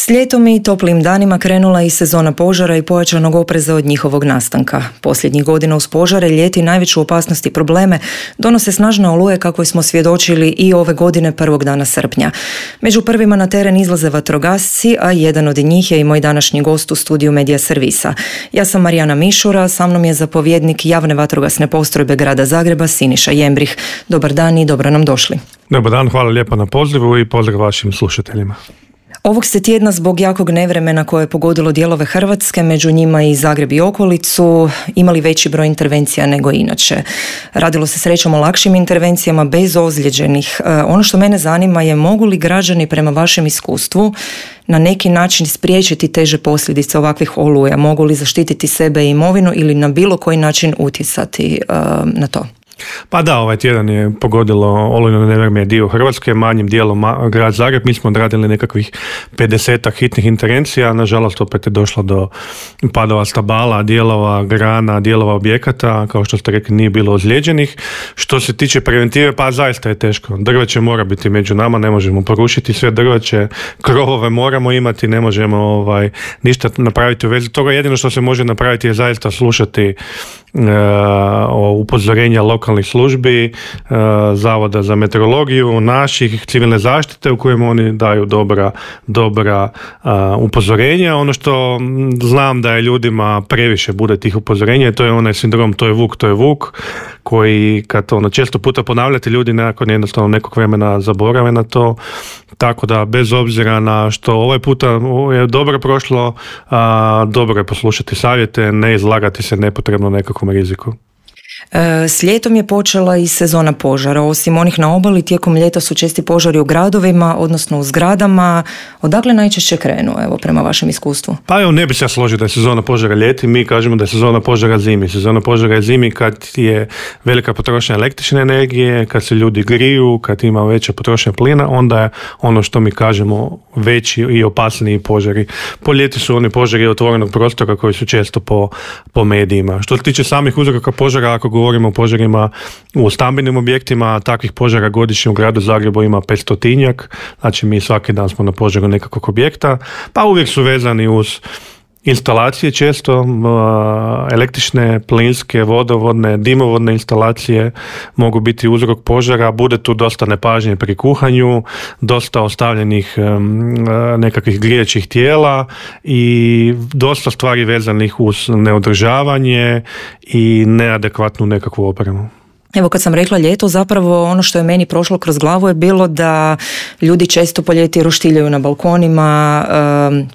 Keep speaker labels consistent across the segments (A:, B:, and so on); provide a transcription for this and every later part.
A: S ljetom i toplim danima krenula i sezona požara i pojačanog opreza od njihovog nastanka. Posljednjih godina uz požare, ljeti najveću opasnost i probleme donose snažne oluje kakvoj smo svjedočili i ove godine prvog dana srpnja. Među prvima na teren izlaze vatrogasci, a jedan od njih je i moj današnji gost u studiju Medija Servisa. Ja sam Marijana Mišura, sa mnom je zapovjednik javne vatrogasne postrojbe grada Zagreba Siniša Jembrih. Dobar dan i dobro nam došli.
B: Dobar dan, hvala lijepo na pozivu i pozdrav vašim slušateljima.
A: Ovog ste tjedna zbog jakog nevremena koje je pogodilo dijelove Hrvatske, među njima i Zagreb i okolicu, imali veći broj intervencija nego inače. Radilo se srećom o lakšim intervencijama bez ozlijeđenih. Ono što mene zanima je mogu li građani prema vašem iskustvu na neki način spriječiti teže posljedice ovakvih oluja? Mogu li zaštititi sebe i imovinu ili na bilo koji način utjecati na to?
B: Pa da, ovaj tjedan je pogodilo olujno nevrijeme dio Hrvatske, manjim dijelom grad Zagreb. Mi smo odradili nekakvih 50 hitnih intervencija, nažalost opet je došlo do padova stabala, dijelova grana, dijelova objekata, kao što ste rekli nije bilo ozlijeđenih. Što se tiče preventive, pa zaista je teško. Drveće mora biti među nama, ne možemo porušiti sve drveće, krovove moramo imati, ne možemo ništa napraviti u vezi toga. Jedino što se može napraviti je zaista slušati upozorenja lokalnih službi, Zavoda za meteorologiju, naših, civilne zaštite u kojem oni daju dobra upozorenja. Ono što znam da je ljudima previše bude tih upozorenja, to je onaj sindrom to je vuk, koji kad često puta ponavljate, ljudi nakon jednostavno nekog vremena zaborave na to. Tako da bez obzira na što ovaj puta je dobro prošlo, dobro je poslušati savjete, ne izlagati se nepotrebno nekakvom riziku.
A: S ljetom je počela i sezona požara. Osim onih na obali, tijekom ljeta su česti požari u gradovima, odnosno u zgradama. Odakle najčešće krenu, evo, prema vašem iskustvu?
B: Pa evo, ne bi se ja složio da je sezona požara ljeti, mi kažemo da je sezona požara zimi. Sezona požara je zimi kad je velika potrošnja električne energije, kad se ljudi griju, kad ima veća potrošnja plina, onda je ono što mi kažemo veći i opasniji požari. Po ljeti su oni požari otvorenog prostora koji su često po medijima. Što se tiče samih uzroka požara, ako govorimo o požarima u stambenim objektima, takvih požara godišnje u gradu Zagrebu ima 500-tinjak, znači mi svaki dan smo na požaru nekakvog objekta, pa uvijek su vezani uz instalacije često, električne, plinske, vodovodne, dimovodne instalacije mogu biti uzrok požara, bude tu dosta nepažnje pri kuhanju, dosta ostavljenih nekakvih grijećih tijela i dosta stvari vezanih uz neodržavanje i neadekvatnu nekakvu opremu.
A: Evo, kad sam rekla ljeto, zapravo ono što je meni prošlo kroz glavu je bilo da ljudi često po ljeti roštiljaju na balkonima,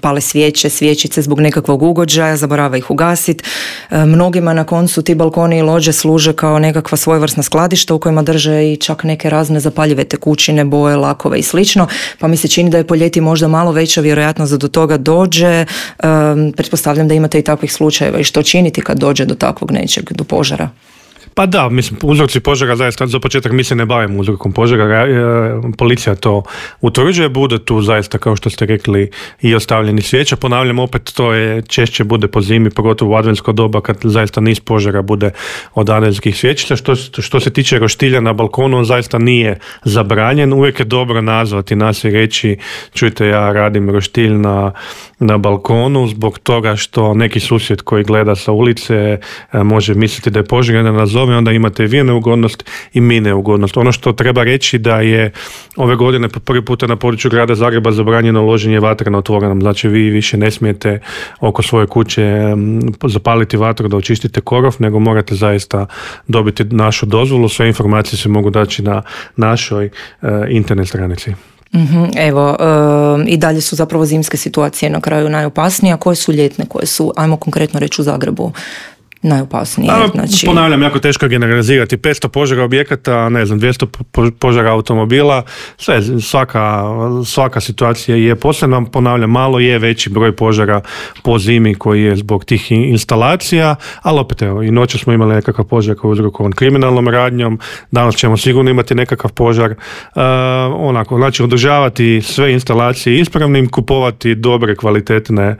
A: pale svjećice zbog nekakvog ugođaja, zaborava ih ugasiti. Mnogima na koncu ti balkoni i lođe služe kao nekakva svojevrsna skladišta u kojima drže i čak neke razne zapaljive tekućine, boje, lakove i slično, pa mi se čini da je po ljeti možda malo veća vjerojatnost da do toga dođe. Pretpostavljam da imate i takvih slučajeva i što činiti kad dođe do takvog nečeg, do požara?
B: Pa da, mislim, uzroci požara zaista, za početak mi se ne bavimo uzrokom požara, policija to utvrđuje, bude tu zaista, kao što ste rekli, i ostavljeni svijeća. Ponavljam, opet to je češće bude po zimi, pogotovo u adventsko doba kad zaista niz požara bude od adventskih svjećica. Što se tiče roštilja na balkonu, on zaista nije zabranjen, uvijek je dobro nazvati nas i reći, čujte, ja radim roštilj na balkonu zbog toga što neki susjed koji gleda sa ulice može misliti da je požar, da nazove, onda imate vi neugodnost i mi neugodnost. Ono što treba reći da je ove godine po prvi puta na području grada Zagreba zabranjeno loženje vatre na otvorenom. Znači vi više ne smijete oko svoje kuće zapaliti vatru da očistite korov, nego morate zaista dobiti našu dozvolu. Sve informacije se mogu daći na našoj internet stranici.
A: Evo, i dalje su zapravo zimske situacije na kraju najopasnije, a koje su ljetne, koje su, ajmo konkretno reći u Zagrebu, najopasnije? Znači...
B: Ponavljam, jako teško generalizirati. 500 požara objekata, 200 požara automobila, svaka situacija je posebna. Ponavljam, malo je veći broj požara po zimi koji je zbog tih instalacija, ali opet evo, i noće smo imali nekakav požar koji je uzrokovan kriminalnom radnjom, danas ćemo sigurno imati nekakav požar. Znači održavati sve instalacije ispravnim, kupovati dobre kvalitetne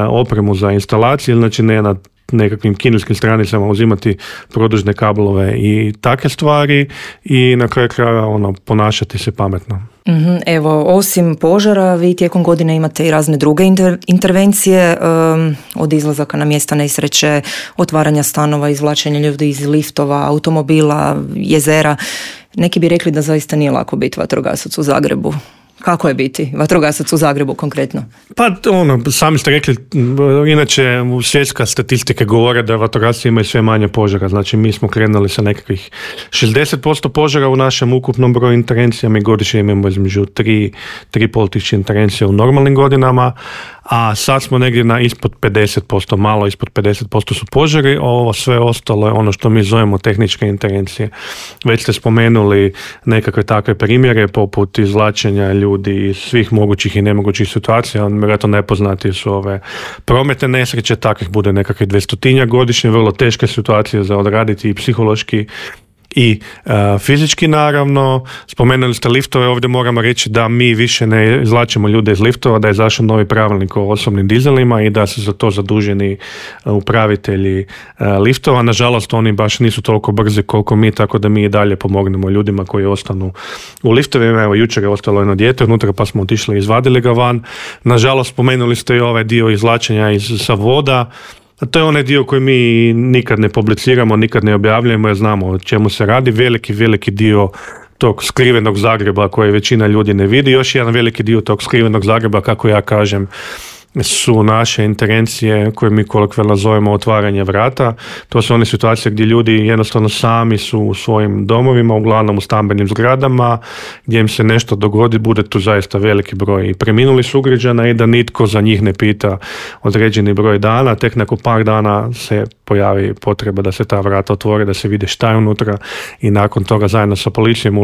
B: opremu za instalacije, znači ne na nekakvim kineskim stranicama uzimati produžne kablove i takve stvari i na kraju kraja ponašati se pametno.
A: Evo, osim požara, vi tijekom godine imate i razne druge intervencije, od izlazaka na mjesta nesreće, otvaranja stanova, izvlačenja ljudi iz liftova, automobila, jezera. Neki bi rekli da zaista nije lako biti vatrogasac u Zagrebu. Kako je biti vatrogasac u Zagrebu konkretno? Pa
B: sami ste rekli, inače svjetska statistike govore da vatrogasci imaju sve manje požara, znači mi smo krenuli sa nekakvih 60% požara u našem ukupnom broju intervencija, mi godišnje imamo između 3,5 tisuće intervencija u normalnim godinama, a sad smo negdje na ispod 50%, malo ispod 50% su požari, ovo sve ostalo je ono što mi zovemo tehničke intervencije. Već ste spomenuli nekakve takve primjere poput izvlačenja ljudi iz svih mogućih i nemogućih situacija, vjerojatno nepoznati su ove prometne nesreće, takvih bude nekakve 200 godišnje, vrlo teške situacije za odraditi i psihološki i fizički naravno. Spomenuli ste liftove, ovdje moramo reći da mi više ne izvlačimo ljude iz liftova, da je izašao novi pravilnik o osobnim dizelima i da su za to zaduženi upravitelji liftova. Nažalost, oni baš nisu toliko brzi koliko mi, tako da mi i dalje pomognemo ljudima koji ostanu u liftovima. Evo, jučer je ostalo jedno dijete unutra pa smo otišli i izvadili ga van. Nažalost, spomenuli ste i ovaj dio izvlačenja sa voda. To je onaj dio koji mi nikad ne publiciramo, nikad ne objavljujemo jer znamo o čemu se radi. Veliki dio tog skrivenog Zagreba koje većina ljudi ne vidi. Još jedan veliki dio tog skrivenog Zagreba, kako ja kažem, su naše intervencije koje mi kolokvijalno zovemo otvaranje vrata. To su one situacije gdje ljudi jednostavno sami su u svojim domovima, uglavnom u stambenim zgradama, gdje im se nešto dogodi, bude tu zaista veliki broj i preminulih sugrađana i da nitko za njih ne pita određeni broj dana. Tek nakon par dana se pojavi potreba da se ta vrata otvore, da se vide šta je unutra i nakon toga zajedno sa policijom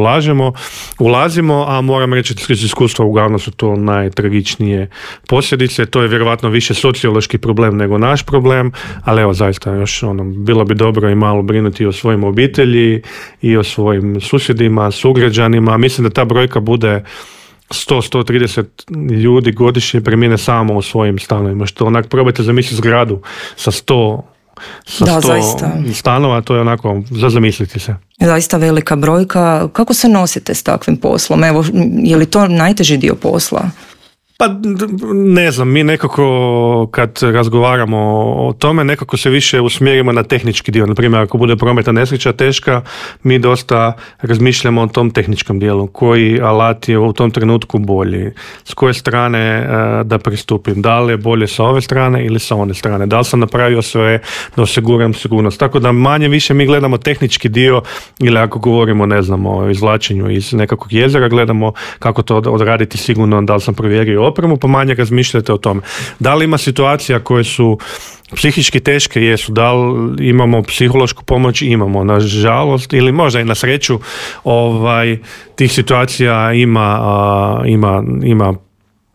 B: ulazimo, a moram reći da iz iskustva uglavnom su to najtragičnije posljedice. To je vjerovatno više sociološki problem nego naš problem, ali evo zaista još bilo bi dobro i malo brinuti i o svojim obitelji i o svojim susjedima, sugrađanima. Mislim da ta brojka bude 100-130 ljudi godišnje premine samo u svojim stanovima, što onak probajte zamisliti zgradu sa 100 stanova, to je onako za zamisliti se.
A: Zaista velika brojka. Kako se nosite s takvim poslom? Evo, je li to najteži dio posla?
B: Pa ne znam, mi nekako kad razgovaramo o tome nekako se više usmjerimo na tehnički dio. Naprimjer, ako bude prometna nesreća teška, mi dosta razmišljamo o tom tehničkom dijelu. Koji alat je u tom trenutku bolji? S koje strane da pristupim? Da li je bolje sa ove strane ili sa one strane? Da li sam napravio sve da osiguram sigurnost? Tako da manje više mi gledamo tehnički dio ili ako govorimo, ne znam, o izvlačenju iz nekakvog jezera, gledamo kako to odraditi sigurno, da li sam provjerio opremu, pa manje razmišljate o tome. Da li ima situacija koje su psihički teške? Jesu. Da li imamo psihološku pomoć? Imamo. Nažalost, ili možda i na sreću, tih situacija ima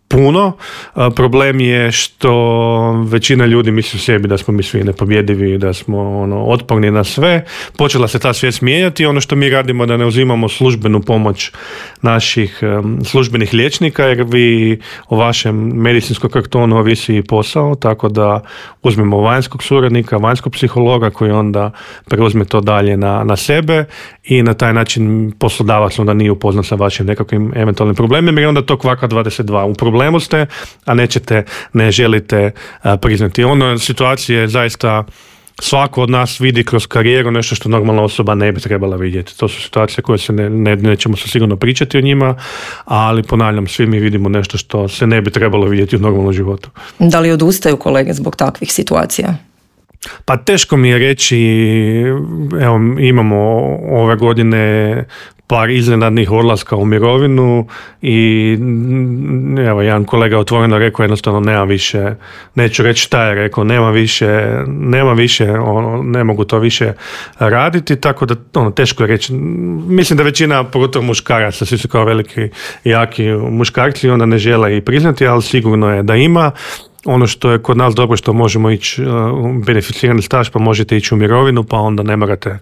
B: puno. Problem je što većina ljudi misli u sebi da smo mi svi nepobjedivi, da smo otporni na sve. Počela se ta svijest mijenjati. Ono što mi radimo da ne uzimamo službenu pomoć naših službenih liječnika, jer vi o vašem medicinskom kartonu ovisi i posao, tako da uzmemo vanjskog suradnika, vanjskog psihologa koji onda preuzme to dalje na sebe i na taj način poslodavac onda nije upoznat sa vašim nekakvim eventualnim problemima, jer onda to kvaka 22. U problemu ste, a ne želite priznati. Ono situacije zaista svako od nas vidi kroz karijeru nešto što normalna osoba ne bi trebala vidjeti. To su situacije koje se nećemo se sigurno pričati o njima, ali ponavljam, svi mi vidimo nešto što se ne bi trebalo vidjeti u normalnom životu.
A: Da li odustaju kolege zbog takvih situacija?
B: Pa teško mi je reći, evo imamo ove godine par iznenadnih odlaska u mirovinu i evo jedan kolega otvoreno rekao jednostavno nema više, neću reći šta je rekao, nema više, ne mogu to više raditi, tako da teško je reći. Mislim da većina, pogotovo muškaraca, svi su kao veliki jaki muškarci, onda ne žele i priznati, ali sigurno je da ima. ono što je kod nas dobro što možemo ići beneficirani staž, pa možete ići u mirovinu, pa onda ne morate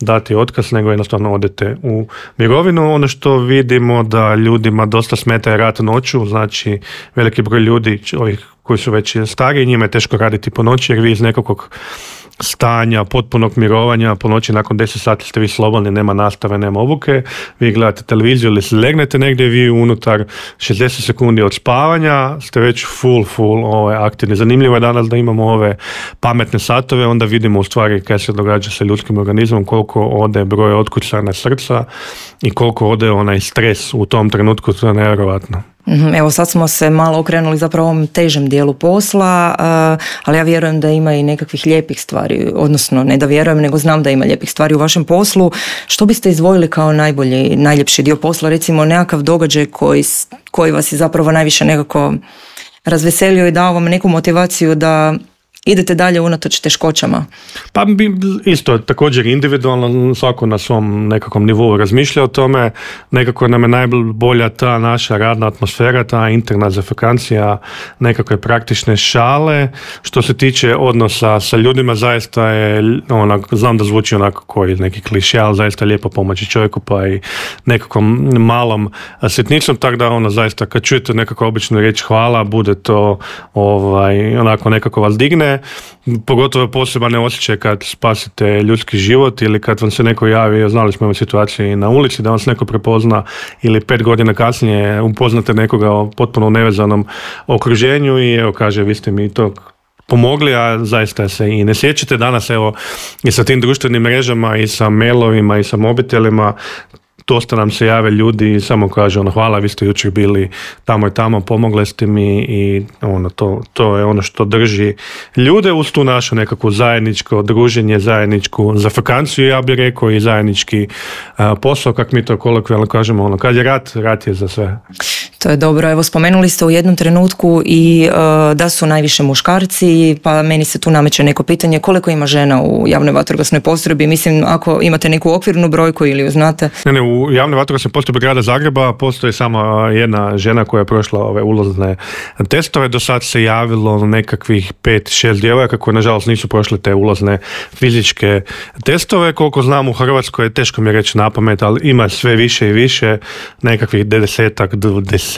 B: dati otkaz, nego jednostavno odete u mirovinu. Ono što vidimo da ljudima dosta smeta rad noću, znači veliki broj ljudi, ovih koji su već stariji, njima je teško raditi po noći jer vi iz nekakvog stanja, potpunog mirovanja, po noći nakon 10 sati ste vi slobodni, nema nastave, nema obuke, vi gledate televiziju ili se legnete negdje, vi unutar 60 sekundi od spavanja ste već full aktivni. Zanimljivo je danas da imamo ove pametne satove, onda vidimo u stvari kaj se događa sa ljudskim organizmom, koliko ode broj otkucana srca i koliko ode onaj stres u tom trenutku, to je nevjerojatno.
A: Evo sad smo se malo okrenuli zapravo ovom težem dijelu posla, ali ja vjerujem da ima i nekakvih lijepih stvari, odnosno ne da vjerujem, nego znam da ima lijepih stvari u vašem poslu. Što biste izdvojili kao najljepši dio posla, recimo nekakav događaj koji vas je zapravo najviše nekako razveselio i dao vam neku motivaciju da idete dalje unatoč teškoćama?
B: Pa isto, također individualno, svako na svom nekakvom nivou razmišlja o tome, nekako nam je najbolja ta naša radna atmosfera, ta interna zafekancija, nekakve praktične šale. Što se tiče odnosa sa ljudima, zaista je, znam da zvuči onako koji neki klišej, ali zaista je lijepo pomoći čovjeku, pa i nekakvom malom sitnicom, tako da zaista kad čujete nekako običnu riječ hvala, bude to onako nekako vas digne. Pogotovo poseban osjećaj kad spasite ljudski život ili kad vam se neko javi, znali smo imati situaciju na ulici da vam se neko prepozna ili 5 godina kasnije upoznate nekoga u potpuno nevezanom okruženju i evo kaže vi ste mi to pomogli, a zaista se i ne sjećate danas i sa tim društvenim mrežama i sa mailovima i sa mobitelima. Dosta nam se jave ljudi i samo kaže hvala, vi ste jučer bili tamo i tamo, pomogle ste mi i to je ono što drži ljude uz tu našu nekakvu zajedničko druženje, zajedničku zafrkanciju, ja bih rekao, i zajednički posao, kako mi to kolokvijalno kažemo, kad je rat je za sve.
A: To je dobro. Evo, spomenuli ste u jednom trenutku i da su najviše muškarci, pa meni se tu nameće neko pitanje koliko ima žena u javnoj vatrogasnoj postrojbi. Mislim, ako imate neku okvirnu brojku ili ju znate.
B: Ne, u javnoj vatrogasnoj postrojbi grada Zagreba postoji samo jedna žena koja je prošla ove ulazne testove. Do sad se javilo nekakvih 5-6 djevojaka koje nažalost nisu prošle te ulazne fizičke testove. Koliko znam u Hrvatskoj, teško mi je reći napamet, ali ima sve više i više, nekakvih 10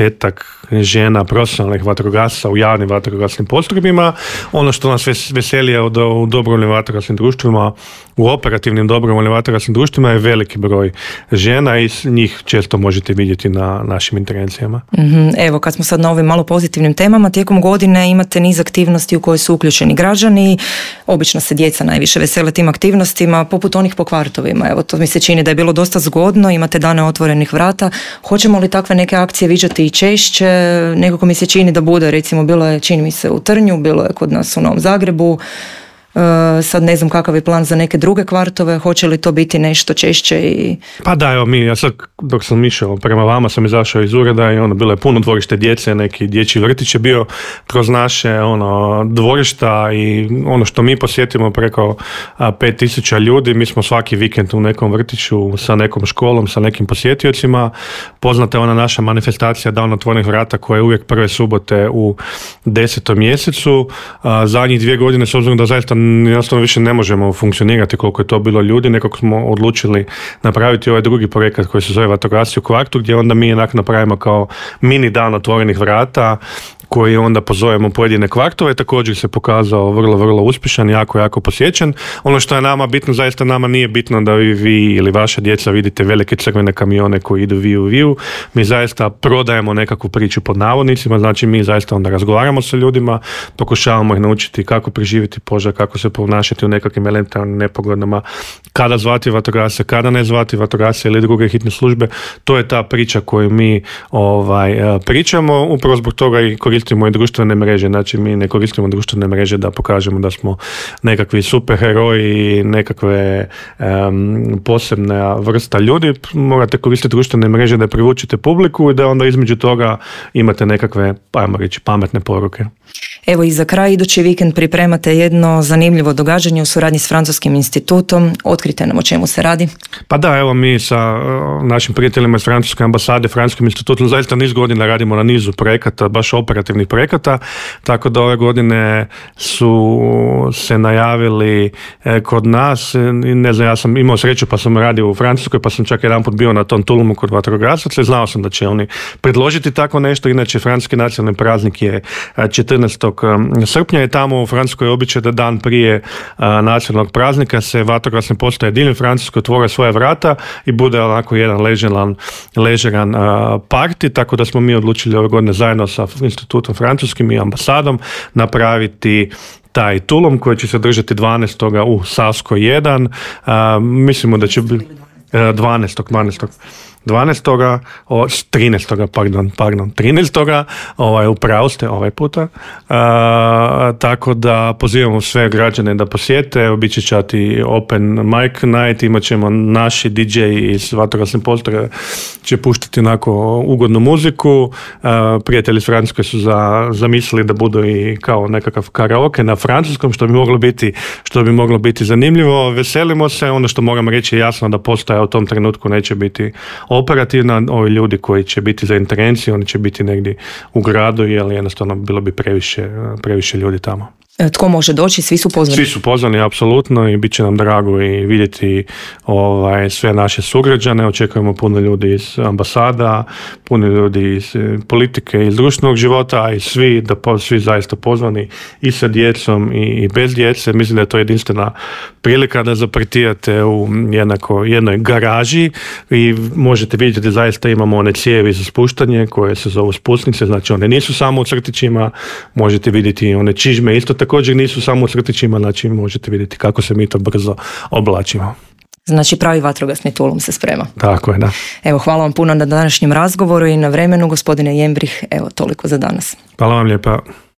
B: žena profesionalnih vatrogasaca u javnim vatrogasnim postrojbima. Ono što nas veseli je u dobrovoljnim vatrogasnim društvima, u operativnim dobrovoljnim vatrogasnim društvima je veliki broj žena i njih često možete vidjeti na našim intervencijama.
A: Evo, kad smo sad na ovim malo pozitivnim temama, tijekom godine imate niz aktivnosti u koje su uključeni građani. Obično se djeca najviše vesele tim aktivnostima, poput onih po kvartovima. Evo, to mi se čini da je bilo dosta zgodno, imate dane otvorenih vrata. Hoćemo li takve neke akcije viđati i češće? Nekako mi se čini da bude, recimo bilo je, čini mi se, u Trnju, bilo je kod nas u Novom Zagrebu. Sad ne znam kakav je plan za neke druge kvartove, hoće li to biti nešto češće i...
B: Pa da, evo ja sad dok sam išao prema vama sam izašao iz ureda i bilo je puno dvorište djece, neki dječji vrtić je bio kroz naše dvorišta i ono što mi posjetimo preko 5000 ljudi, mi smo svaki vikend u nekom vrtiću sa nekom školom, sa nekim posjetiocima. Poznata je ona naša manifestacija Dan otvorenih vrata koja je uvijek prve subote u 10. mjesecu. Zadnjih 2 godine, s obzirom da zaista jednostavno više ne možemo funkcionirati koliko je to bilo ljudi, nekako smo odlučili napraviti ovaj drugi projekat koji se zove Vatrogasci u kvartu, gdje onda mi napravimo kao mini dan otvorenih vrata koji onda pozovemo pojedine kvartove, također se pokazao vrlo uspješan, jako posjećen. Ono što je nama bitno, zaista nama nije bitno da vi ili vaša djeca vidite velike crvene kamione koji idu viu. Mi zaista prodajemo nekakvu priču pod navodnicima, znači mi zaista onda razgovaramo sa ljudima, pokušavamo ih naučiti kako preživjeti požar, kako se ponašati u nekakvim elementarnim nepogodama, kada zvati vatrogasce, kada ne zvati vatrogasce ili druge hitne službe. To je ta priča koju mi pričamo, upravo zbog toga i koristimo i društvene mreže, znači mi ne koristimo društvene mreže da pokažemo da smo nekakvi superheroji, nekakve posebna vrsta ljudi. Morate koristiti društvene mreže da privučete publiku i da onda između toga imate nekakve, ajmo reći, pametne poruke.
A: Evo i za kraj, idući vikend pripremate jedno zanimljivo događanje u suradnji s Francuskim institutom. Otkrite nam o čemu se radi.
B: Pa da, evo mi sa našim prijateljima iz Francuske ambasade, Francuskim institutom, zaista niz godina radimo na nizu projekata, baš operativnih projekata, tako da ove godine su se najavili kod nas, ne znam, ja sam imao sreću pa sam radio u Francuskoj, pa sam čak jedan put bio na tom Tulumu kod vatrogasaca i znao sam da će oni predložiti tako nešto. Inače, francuski nacionalni praznik je 14. srpnja i tamo u Francuskoj je običaj da dan prije nacionalnog praznika se vatrogasne postaje diljem Francuske otvore svoje vrata i bude onako jedan ležeran parti, tako da smo mi odlučili ove godine zajedno sa institutom francuskim i ambasadom napraviti taj tulum koji će se držati 12. u Savskoj 1. Mislimo da će biti 13. Upravo ste ovaj puta. Tako da pozivamo sve građane da posjete, bit će čati open mic night, imat ćemo naši DJ iz vatrogasne postrojbe će puštati onako ugodnu muziku. Prijatelji iz Francuske su zamislili da budu i kao nekakav karaoke na francuskom, što bi moglo biti zanimljivo. Veselimo se, ono što moram reći je jasno da postaja u tom trenutku neće biti operativna, ovi ljudi koji će biti za intervenciju, oni će biti negdje u gradu, jer jednostavno bilo bi previše ljudi tamo.
A: Tko može doći? Svi su pozvani?
B: Svi su pozvani, apsolutno, i bit će nam drago i vidjeti sve naše sugrađane. Očekujemo puno ljudi iz ambasada, puno ljudi iz politike, iz društvenog života, i svi zaista pozvani i sa djecom i bez djece. Mislim da je to jedinstvena prilika da zapartijate u jednoj garaži i možete vidjeti da zaista imamo one cijevi za spuštanje koje se zovu spusnice, znači one nisu samo u crtićima, možete vidjeti one čižme isto također nisu samo u crtićima, znači možete vidjeti kako se mi to brzo oblačimo.
A: Znači pravi vatrogasni tulum se sprema.
B: Tako je, da.
A: Evo, hvala vam puno na današnjem razgovoru i na vremenu, gospodine Jembrih. Evo, toliko za danas.
B: Hvala vam lijepa.